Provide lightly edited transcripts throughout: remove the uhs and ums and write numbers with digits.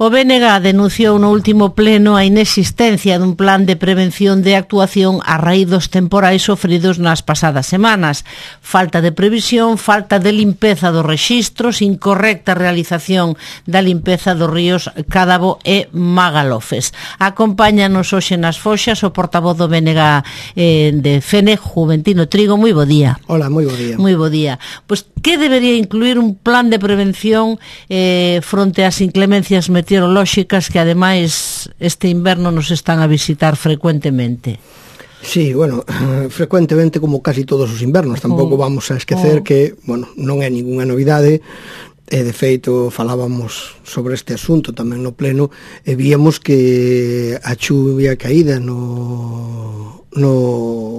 O BNG denunciou no último pleno a inexistencia dun plan de prevención de actuación a raíz dos temporais sofridos nas pasadas semanas. Falta de previsión, falta de limpeza dos rexistros, incorrecta realización da limpeza dos ríos Cádabo e Magalofes. Acompáñanos hoxe nas foxas o portavoz do BNG de FENE, Juventino Trigo. Moi bo día. Hola, moi bo día. Moi bo día. Pois, que debería incluir un plan de prevención fronte ás inclemencias meteorolóxicas que ademais este inverno nos están a visitar frecuentemente? Sí, bueno, frecuentemente como casi todos os invernos. Tampouco vamos a esquecer que, bueno, non é ningunha novidade. De feito, falábamos sobre este asunto tamén no pleno e víamos que a chuvia caída no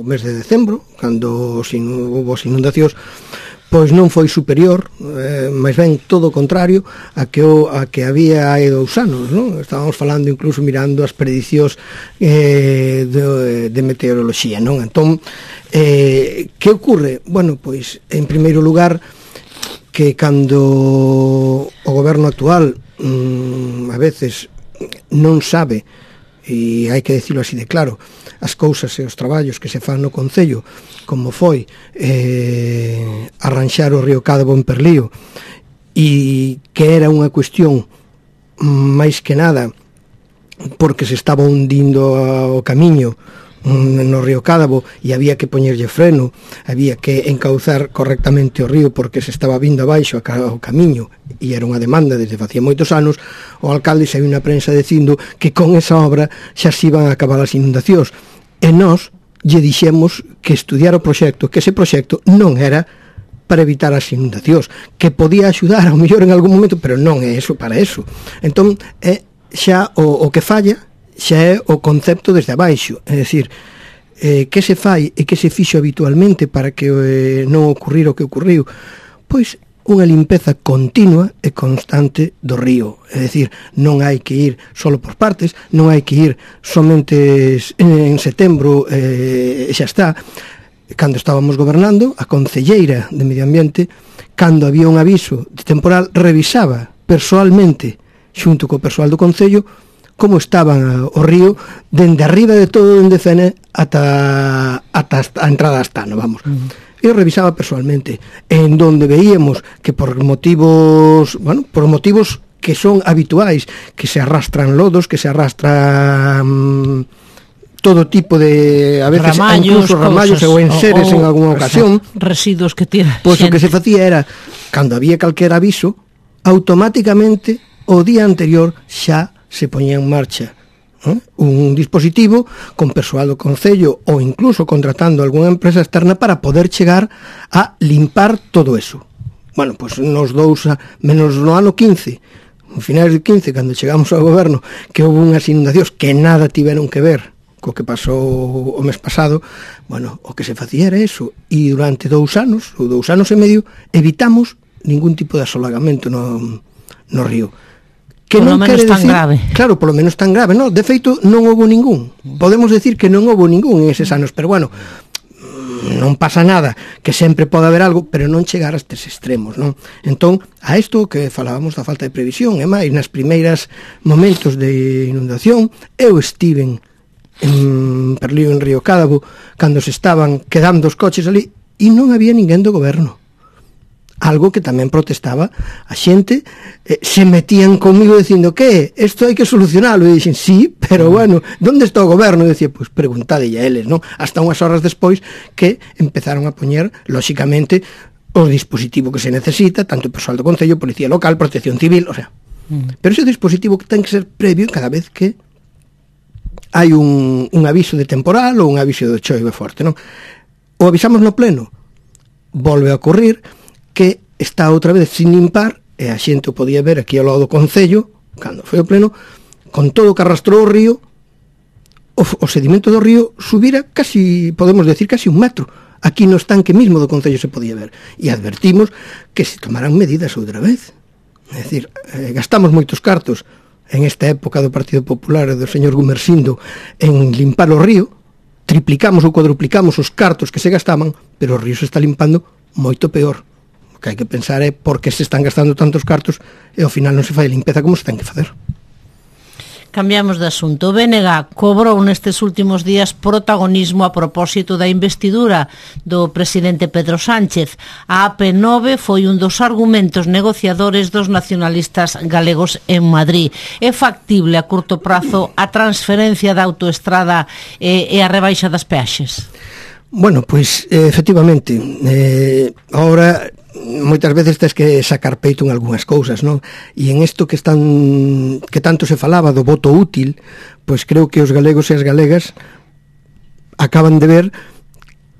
mes de decembro, cando houve as inundacións, pois non foi superior, máis ben todo o contrario a que había hai 2 anos, non? Estábamos falando incluso mirando as predicións de meteoroloxía, non? Entón, que ocorre? Bueno, pois, en primeiro lugar, que cando o goberno actual a veces non sabe, e hai que dicilo así de claro, as cousas e os traballos que se fan no Concello, como foi arranxar o río Cádabo en Perlío, e que era unha cuestión máis que nada porque se estaba hundindo o camiño no río Cádabo e había que poñerlle freno, había que encauzar correctamente o río porque se estaba vindo abaixo o camiño e era unha demanda desde facía moitos anos. O alcalde saiu na prensa dicindo que con esa obra xa se iban a acabar as inundacións e nós lle dixemos que estudiar o proxecto, que ese proxecto non era para evitar as inundacións, que podía axudar ao mellor en algún momento, pero non é eso para eso. Entón, é xa o que falla xa é o concepto desde abaixo, é dicir, que se fai e que se fixo habitualmente para que non ocurrir o que ocurriu? Pois unha limpeza continua e constante do río, é dicir, non hai que ir solo por partes, non hai que ir somente en setembro e xa está. Cando estábamos gobernando, a concelleira de Medio Ambiente, cando había un aviso de temporal, revisaba persoalmente xunto co persoal do Concello como estaba o río dende arriba de todo, dende Fene ata a entrada a Astano, vamos. Eu revisaba persoalmente, en donde veíamos que por motivos que son habituais, que se arrastran lodos, que se arrastran todo tipo de, a veces, incluso ramallos ou enseres en algunha ocasión, residuos que tira. Pois o que se facía era, cando había calquer aviso, automáticamente o día anterior xa se poñía en marcha un dispositivo con persoal do Concello ou incluso contratando algunha empresa externa para poder chegar a limpar todo eso. Bueno, pois nos menos no ano 15, no finais do 15, cando chegamos ao goberno, que houve unhas inundacións que nada tiveron que ver co que pasou o mes pasado, bueno, o que se facía era eso, e durante 2 anos, ou 2 anos e medio, evitamos ningún tipo de asolagamento no río. Que non quere decir, grave. Claro, polo menos tan grave, no, de feito non houve ningún. Podemos decir que non houve ningún en eses anos, pero bueno, non pasa nada, que sempre pode haber algo, pero non chegar a estes extremos, non? Entón, a isto que falábamos da falta de previsión, e máis nas primeiras momentos de inundación, eu estiven en Perlío, en Río Cádabo, cando se estaban quedando os coches ali, e non había ninguén do goberno. Algo que tamén protestaba a xente, se metían comigo dicindo que isto hai que solucionalo, e dixen, sí, pero bueno, onde está o goberno? E dicía, pois preguntadelle a eles, non? Hasta unhas horas despois que empezaron a poñer, lóxicamente, o dispositivo que se necesita, tanto o persoal do Concello, Policía Local, Protección Civil, o sea, pero ese dispositivo que ten que ser previo cada vez que hai un aviso de temporal ou un aviso de choive forte, non? O avisamos no pleno, volve a ocurrir que está outra vez sin limpar, e a xente o podía ver aquí ao lado do Concello, cando foi o pleno, con todo o que arrastrou o río, o sedimento do río subira casi, podemos decir, casi 1 metro. Aquí no estanque mismo do Concello se podía ver. E advertimos que se tomaran medidas outra vez. É dicir, gastamos moitos cartos en esta época do Partido Popular e do señor Gumersindo en limpar o río, triplicamos ou cuadruplicamos os cartos que se gastaban, pero o río se está limpando moito peor. O que hai que pensar é por que se están gastando tantos cartos e ao final non se fai a limpeza como se ten que facer. Cambiamos de asunto. O BNG cobrou nestes últimos días protagonismo a propósito da investidura do presidente Pedro Sánchez. A AP9 foi un dos argumentos negociadores dos nacionalistas galegos en Madrid. É factible a curto prazo a transferencia da autoestrada e a rebaixa das peaxes? Bueno, pois efectivamente, ahora moitas veces tens que sacar peito en algunhas cousas, non? E en isto que tanto se falaba do voto útil, pois creo que os galegos e as galegas acaban de ver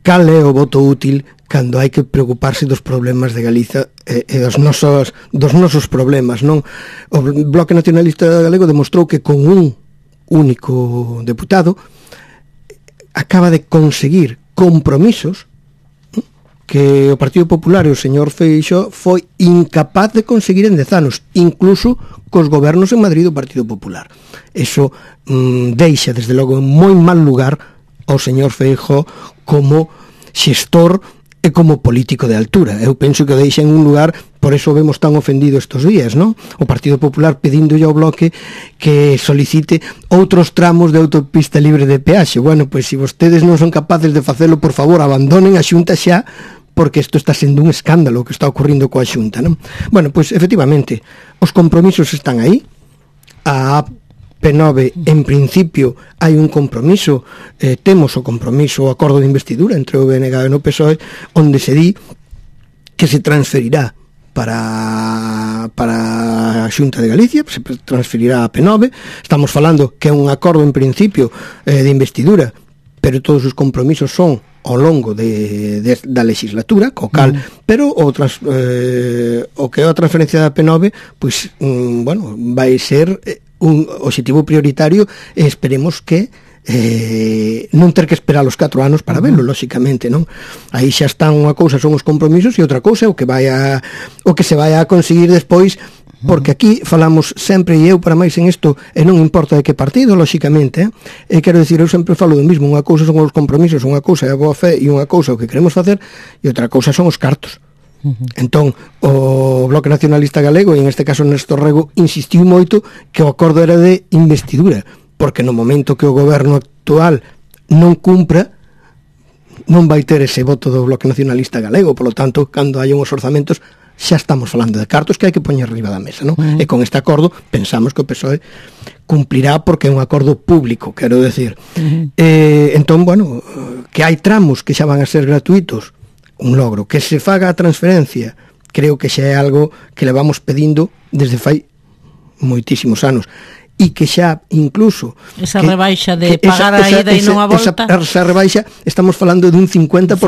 cal é o voto útil cando hai que preocuparse dos problemas de Galiza e dos nosos problemas, non? O Bloque Nacionalista Galego demostrou que con un único deputado acaba de conseguir compromisos que o Partido Popular e o señor Feixóo foi incapaz de conseguir en 10 anos, incluso cos gobernos en Madrid do Partido Popular. Eso deixa, desde logo, en moi mal lugar ao señor Feixóo como xestor e como político de altura. Eu penso que o deixa en un lugar, por eso vemos tan ofendido estos días, non? O Partido Popular pedindolle ao Bloque que solicite outros tramos de autopista libre de peaxe. Bueno, pois se vostedes non son capaces de facelo, por favor, abandonen a Xunta xa, porque isto está sendo un escándalo que está ocurrindo coa Xunta, non? Bueno, pois efectivamente, os compromisos están aí. A P9, en principio, hai un compromiso, temos o compromiso, o acordo de investidura entre o BNG e o PSOE, onde se di que se transferirá para a Xunta de Galicia, se transferirá a P9. Estamos falando que é un acordo en principio de investidura, pero todos os compromisos son ao longo da legislatura, co cal, pero o que é a transferencia da P9, pois, bueno, vai ser un objetivo prioritario e esperemos que non ter que esperar os 4 anos para verlo, lóxicamente, non? Aí xa están, unha cousa son os compromisos e outra cousa o que se vai a conseguir despois, porque aquí falamos sempre, e eu para máis en isto, e non importa de que partido, lóxicamente, e quero dicir, eu sempre falo do mismo, unha cousa son os compromisos, unha cousa é a boa fe e unha cousa o que queremos facer e outra cousa son os cartos. Entón, o Bloque Nacionalista Galego, e en este caso Néstor Rego, insistiu moito que o acordo era de investidura, porque no momento que o goberno actual non cumpra, non vai ter ese voto do Bloque Nacionalista Galego. Polo tanto, cando hai uns orzamentos, xa estamos falando de cartos que hai que poñer arriba da mesa, non? E con este acordo pensamos que o PSOE cumplirá, porque é un acordo público, quero decir. Entón, bueno, que hai tramos que xa van a ser gratuitos, un logro. Que se faga a transferencia, creo que xa é algo que le vamos pedindo desde fai moitísimos anos, e que xa incluso esa rebaixa de pagar a ida e non a volta, esa rebaixa, estamos falando dun 50%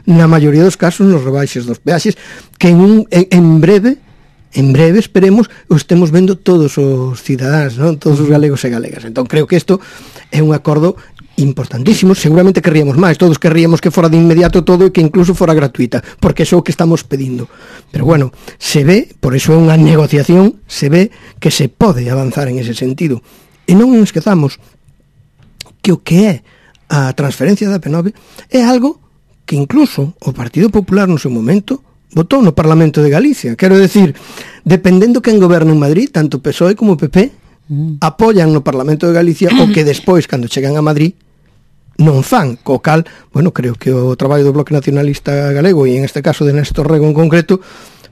na maioría dos casos nos rebaixes dos peaxes, que en breve esperemos o estemos vendo todos os cidadáns, non? Todos os galegos e galegas. Entón creo que isto é un acordo importantísimo. Seguramente querríamos máis, todos querríamos que fora de inmediato todo e que incluso fora gratuita, porque é o que estamos pedindo. Pero bueno, se ve, por eso é unha negociación, se ve que se pode avanzar en ese sentido. E non nos esquezamos que o que é a transferencia da P9 é algo que incluso o Partido Popular no seu momento votou no Parlamento de Galicia. Quero decir, dependendo quen goberna en Madrid, tanto PSOE como PP apoian no Parlamento de Galicia o que despois, cando chegan a Madrid, non fan, co cal, bueno, creo que o traballo do Bloque Nacionalista Galego, e en este caso de Néstor Rego en concreto,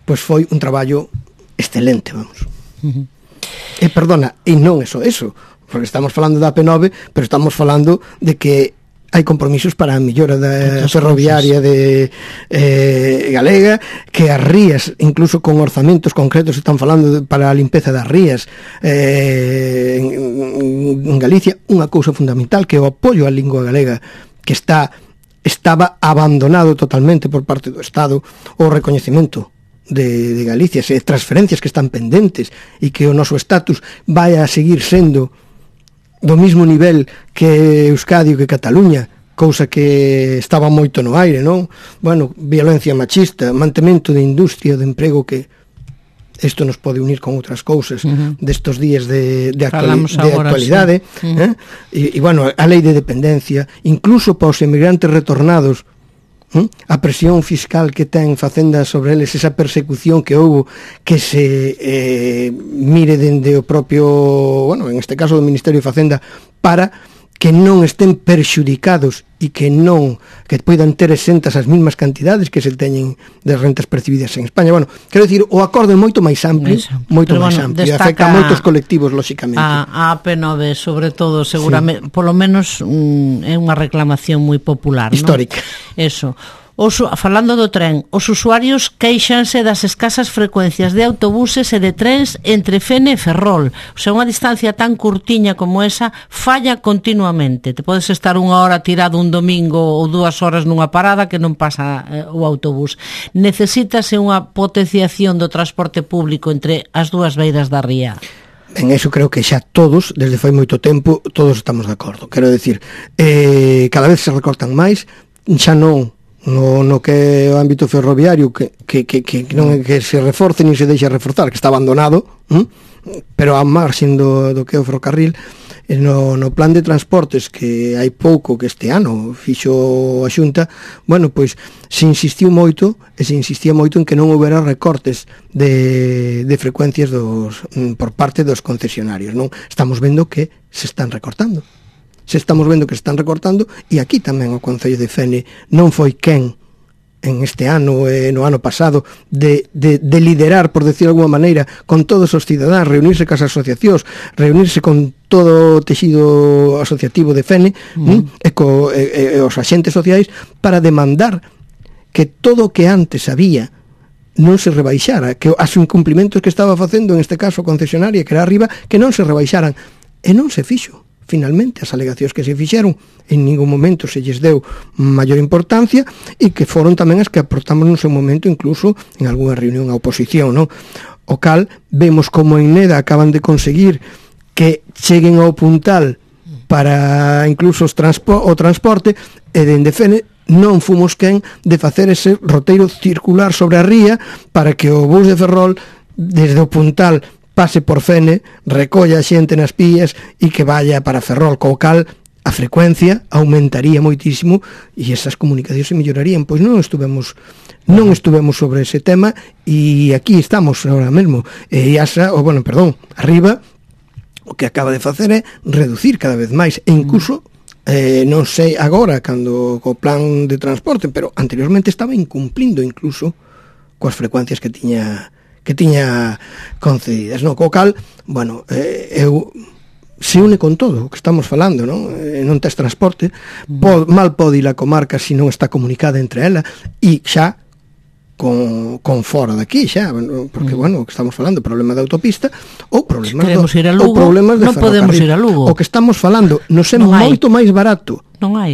pois foi un traballo excelente, vamos. E perdona, e non é só eso, porque estamos falando da P9, pero estamos falando de que hai compromisos para a millora da ferroviaria de galega, que as rías, incluso con orzamentos concretos, están falando para a limpeza das rías en Galicia. Unha cousa fundamental, que é o apoio á lingua galega, que estaba abandonado totalmente por parte do Estado, o recoñecemento de Galicia, e transferencias que están pendentes, e que o noso estatus vai a seguir sendo do mismo nivel que Euskadi ou que Cataluña, cousa que estaba moito no aire, non? Bueno, violencia machista, mantemento de industria, de emprego, que isto nos pode unir con outras cousas destos días de actualidade, sí. E bueno, a lei de dependencia, incluso para os emigrantes retornados, a presión fiscal que ten Facenda sobre eles, esa persecución que houve, que se mire dende o propio, bueno, en este caso do Ministerio de Facenda, para que non estén perxudicados e que poidan ter exentas as mesmas cantidades que se teñen de rentas percibidas en España. Bueno, quero dicir, o acordo é moito máis amplio, e afecta a moitos colectivos, lóxicamente. A AP9, sobre todo, seguramente, polo menos é unha reclamación moi popular, histórica. Eso. Falando do tren, os usuarios queixanse das escasas frecuencias de autobuses e de trens entre Fene e Ferrol. O sea, unha distancia tan curtiña como esa falla continuamente. Te podes estar unha hora tirado un domingo ou 2 horas nunha parada que non pasa o autobús. Necesítase unha potenciación do transporte público entre as dúas beiras da ría. En eso creo que xa todos, desde fai moito tempo, todos estamos de acordo. Quero decir, cada vez se recortan máis, xa non no que é o ámbito ferroviario que non é que se reforce nin se deixa reforzar, que está abandonado, pero a marxen do que é o ferrocarril, no plan de transportes que hai pouco, que este ano fixo a Xunta, bueno, pois se insistía moito en que non houbera recortes de frecuencias por parte dos concesionarios, non? Estamos vendo que se están recortando. E aquí tamén o Concello de Fene non foi quen en este ano e no ano pasado de liderar, por decir de alguma maneira, con todos os cidadáns, reunirse cas asociacións, reunirse con todo o texido asociativo de Fene e os axentes sociais para demandar que todo o que antes había non se rebaixara, que os incumplimentos que estaba facendo, en este caso a concesionaria, que era arriba, que non se rebaixaran, e non se fixo. Finalmente, as alegacións que se fixeron en ningún momento se lles deu maior importancia e que foron tamén as que aportamos no seu momento, incluso en algunha reunión a oposición, non? O cal, vemos como en Neda acaban de conseguir que cheguen ao puntal para incluso o transporte, e dende Fene non fomos quen de facer ese roteiro circular sobre a ría para que o bus de Ferrol desde o puntal pase por Fene, recolla a xente nas pías e que vaya para Ferrol, co cal a frecuencia aumentaría moitísimo e esas comunicacións se mellorarían. Pois non estuvemos sobre ese tema e aquí estamos agora mesmo. E arriba o que acaba de facer é reducir cada vez máis e incluso non sei agora cando co plan de transporte, pero anteriormente estaba incumplindo incluso coas frecuencias que tiña concedidas, non? Co cal, bueno, se une con todo o que estamos falando, non? Non tes transporte, mal pode ir a comarca se non está comunicada entre ela, e xa con fora daqui, xa, porque, bueno, o que estamos falando, problema de autopista, ou problemas de ferrocarril. Podemos ir a Lugo. O que estamos falando, nos é moito máis barato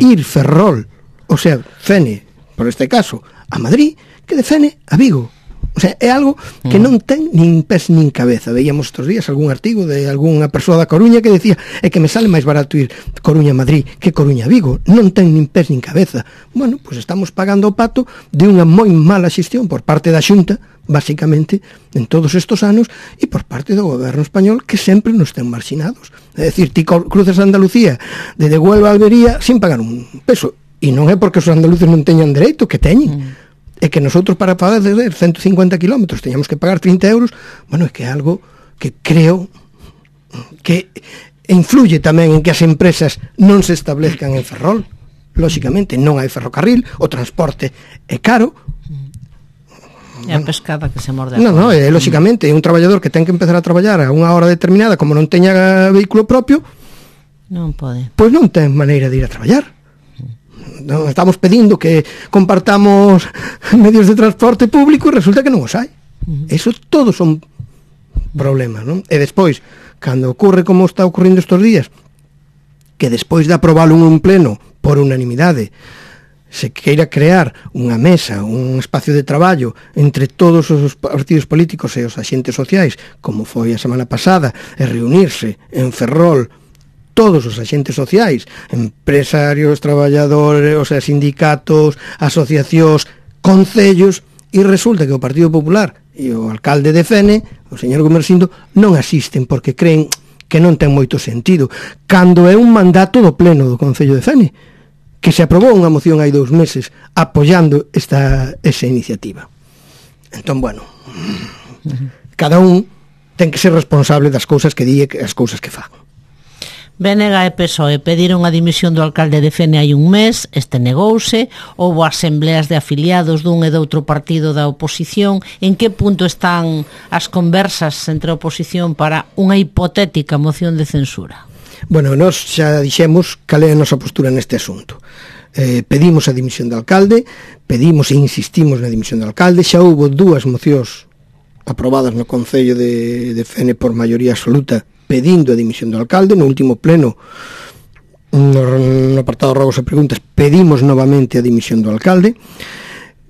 ir Ferrol, o sea, Fene, por este caso, a Madrid, que de Fene a Vigo. O sea, é algo que non ten nin pés nin cabeza. Veíamos estos días algún artigo de algunha persoa da Coruña que decía é que me sale máis barato ir Coruña-Madrid que Coruña-Vigo. Non ten nin pés nin cabeza. Bueno, pois estamos pagando o pato de unha moi mala xestión por parte da Xunta, basicamente, en todos estos anos, e por parte do goberno español, que sempre nos ten marxinados. É dicir, ti cruzas a Andalucía de Huelva a Almería sin pagar un peso. E non é porque os andaluces non teñan dereito, que teñen. É que nosotros para fazer 150 kilómetros teñamos que pagar 30 euros, bueno, é que é algo que creo que influye tamén en que as empresas non se establezcan en Ferrol. Lóxicamente, non hai ferrocarril, o transporte é caro. É a pescada que se morde. Non, lóxicamente, un traballador que ten que empezar a traballar a unha hora determinada, como non teña vehículo propio, non pode. Pois non ten maneira de ir a traballar. Non estamos pedindo que compartamos medios de transporte público e resulta que non os hai. Eso todos son problemas, non? E despois, cando ocurre como está ocurrindo estes días, que despois de aprobalo en un pleno por unanimidade se queira crear unha mesa, un espacio de traballo entre todos os partidos políticos e os axentes sociais, como foi a semana pasada, e reunirse en Ferrol todos os axentes sociais, empresarios, traballadores, o sea, sindicatos, asociacións, concellos, e resulta que o Partido Popular e o alcalde de Fene, o señor Gomersindo, non asisten porque creen que non ten moito sentido, cando é un mandato do pleno do Concello de Fene. que se aprobou unha moción hai 2 meses apoiando esa iniciativa. Entón, bueno, cada un ten que ser responsable das cousas que di e as cousas que fan. BNG e PSOE pediron a dimisión do alcalde de Fene hai un mes, este negouse, houbo asembleas de afiliados dun e doutro partido da oposición. En que punto están as conversas entre a oposición para unha hipotética moción de censura? Bueno, nós xa dixemos cal é a nosa postura neste asunto. Pedimos a dimisión do alcalde, pedimos e insistimos na dimisión do alcalde, xa houbo 2 mocións aprobadas no Concello de Fene por maioría absoluta pedindo a dimisión do alcalde. No último pleno, no apartado rogos e preguntas, pedimos novamente a dimisión do alcalde.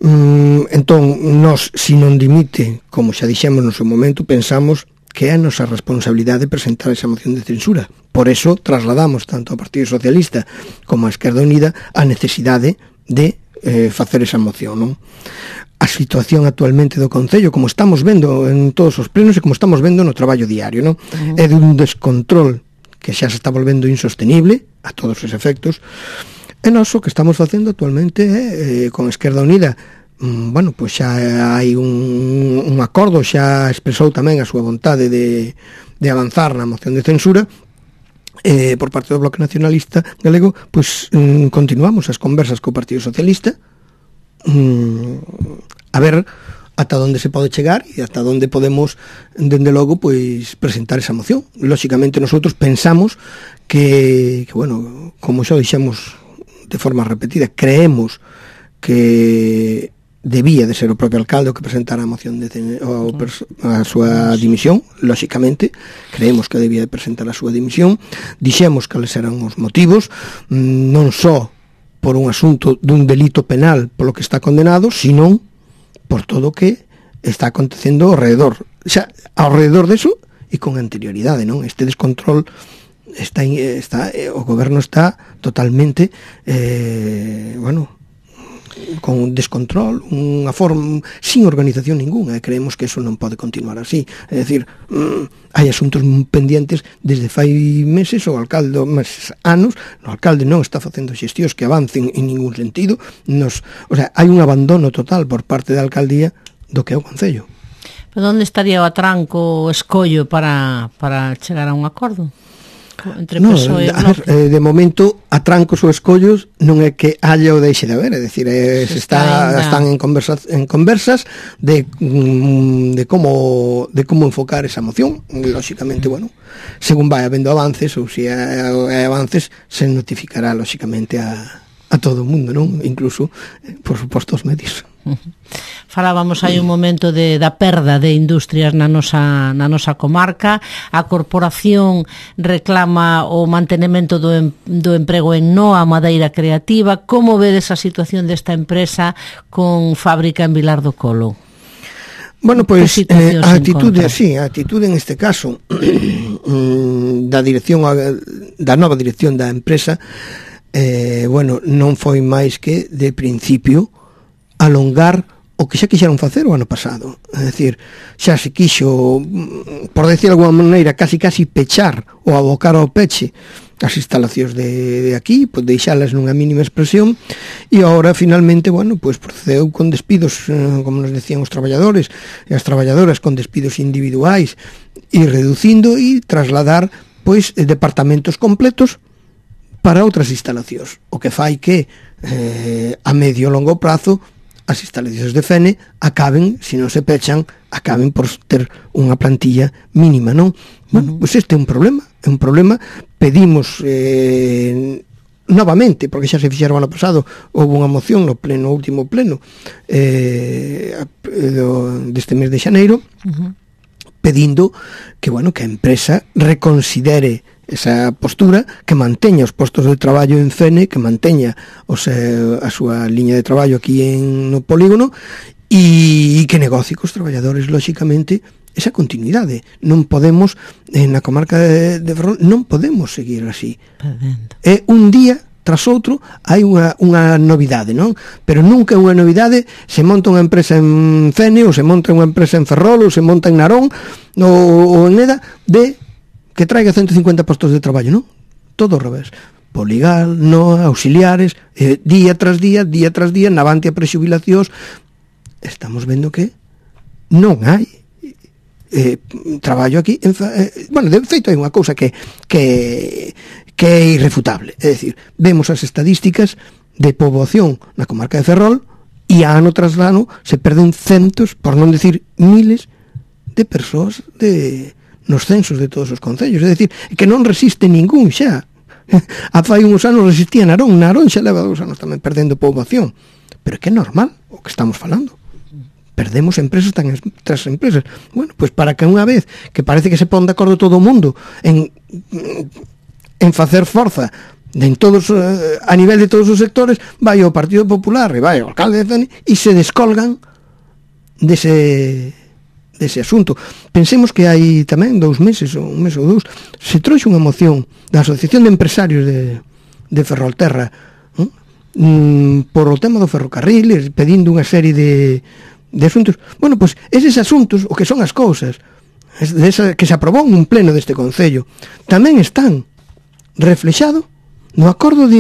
Entón, nós, se non dimite, como xa dixemos no seu momento, pensamos que é a nosa responsabilidade presentar esa moción de censura. Por eso trasladamos tanto ao Partido Socialista como á Esquerda Unida a necesidade de facer esa moción, non? A situación actualmente do Concello, como estamos vendo en todos os plenos e como estamos vendo no traballo diario, non? É de un descontrol que xa se está volvendo insostenible a todos os efectos. E nós o que estamos facendo actualmente con a Esquerda Unida, bueno, pois xa hai un acordo, xa expresou tamén a súa vontade de avanzar na moción de censura. Por parte do Bloque Nacionalista Galego, pois continuamos as conversas co Partido Socialista, a ver ata onde se pode chegar e ata onde podemos, dende logo, pois presentar esa moción. Lóxicamente, nosotros pensamos que bueno, como xa dixemos de forma repetida, creemos que debía de ser o propio alcalde o que presentara a moción a súa dimisión. Lóxicamente creemos que debía de presentar a súa dimisión. Dixemos cales eran os motivos, non só por un asunto dun delito penal polo que está condenado, sino por todo o que está acontecendo ao redor deso e con anterioridade, non? Este descontrol o goberno está totalmente con un descontrol, unha forma sin organización ninguna, e creemos que eso non pode continuar así. É dicir, hai asuntos pendientes desde fai meses, o alcalde anos, o alcalde non está facendo xestións que avancen en ningún sentido. Hai un abandono total por parte da alcaldía do que é o Concello. Pero onde estaría o atranco, o escollo para chegar a un acordo entre PSOE e Bloque? De momento, atrancos ou escollos non é que haya ou deixe de haber, é dicir, están en conversas de como enfocar esa moción. Lóxicamente, bueno, según vai habendo avances, ou se hai avances, se notificará lóxicamente a todo o mundo, non? Incluso, por suposto, os medios. Falábamos hai un momento da perda de industrias na nosa comarca. A corporación reclama o mantenimento do emprego en Noa Madeira Creativa. Como vedes a situación desta empresa con fábrica en Vilar do Colo? Bueno, pois a atitude en este caso da nova dirección da empresa, non foi máis que de principio alongar o que xa quixeron facer o ano pasado. É dicir, xa se quixo, por decir de alguma maneira, casi pechar ou abocar ao peche as instalacións de aquí, pois deixalas nunha mínima expresión, e agora finalmente, bueno, pois procedeu con despidos, como nos decían os traballadores e as traballadoras, con despidos individuais, e reducindo e trasladar pois departamentos completos para outras instalacións, o que fai que a medio e longo prazo as instalacións de Fene acaben, se non se pechan, acaben por ter unha plantilla mínima, non? Bueno, pois este é un problema, pedimos novamente, porque xa se fixeron ano pasado, houve unha moción no último pleno deste mes de xaneiro, pedindo que a empresa reconsidere esa postura, que manteña os postos de traballo en Fene, que manteña a súa liña de traballo aquí no polígono, e que negocie cos traballadores, lóxicamente, esa continuidade. Non podemos, na comarca de Ferrol, non podemos seguir así. É un día tras outro hai unha novidade, non? Pero nunca é unha novidade se monta unha empresa en Fene, ou se monta unha empresa en Ferrol, ou se monta en Narón, ou en Neda, que traiga 150 postos de traballo, non? Todo ao revés. Poligal, NOA, auxiliares, día tras día, Navantia prexubilacións. Estamos vendo que non hai traballo aquí. Bueno, de feito hai unha cousa que é irrefutable. É dicir, vemos as estadísticas de poboación na comarca de Ferrol e ano tras ano se perden centos, por non decir miles, de persoas nos censos de todos os concellos. É dicir, que non resiste ningún xa. A fai uns anos resistía Narón xa leva 2 anos tamén perdendo poboación. Pero que é normal o que estamos falando. Perdemos empresas tras empresas. Bueno, pois para que unha vez que parece que se pon de acordo todo o mundo en facer forza en todos, a nivel de todos os sectores, vai o Partido Popular e vai o alcalde de Fene e se descolgan dese asunto. Pensemos que hai tamén 2 meses ou un mes ou 2 se trouxe unha moción da Asociación de Empresarios de Ferrolterra por o tema do ferrocarril, pedindo unha serie de asuntos. Bueno, pois eses asuntos, o que son as cousas que se aprobou nun pleno deste Concello, tamén están reflexados no acordo de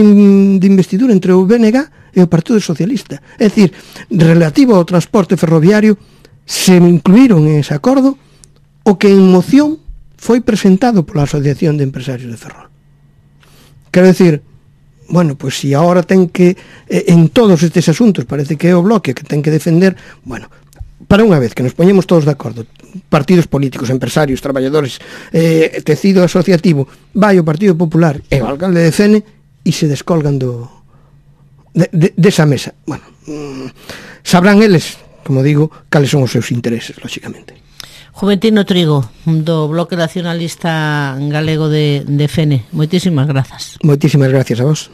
investidura entre o BNG e o Partido Socialista. É dicir, relativo ao transporte ferroviario, se incluíron en ese acordo o que en moción foi presentado pola Asociación de Empresarios de Ferrol. Quero dicir, bueno, pois se agora ten que en todos estes asuntos parece que é o bloque que ten que defender, bueno, para unha vez que nos poñemos todos de acordo, partidos políticos, empresarios, traballadores, tecido asociativo, vai o Partido Popular e o alcalde de Fene e se descolgan desa mesa. Bueno, sabrán eles, como digo, cales son os seus intereses, lóxicamente. Juventino Trigo, do Bloque Nacionalista Galego de Fene. Moitísimas grazas. Moitísimas gracias a vos.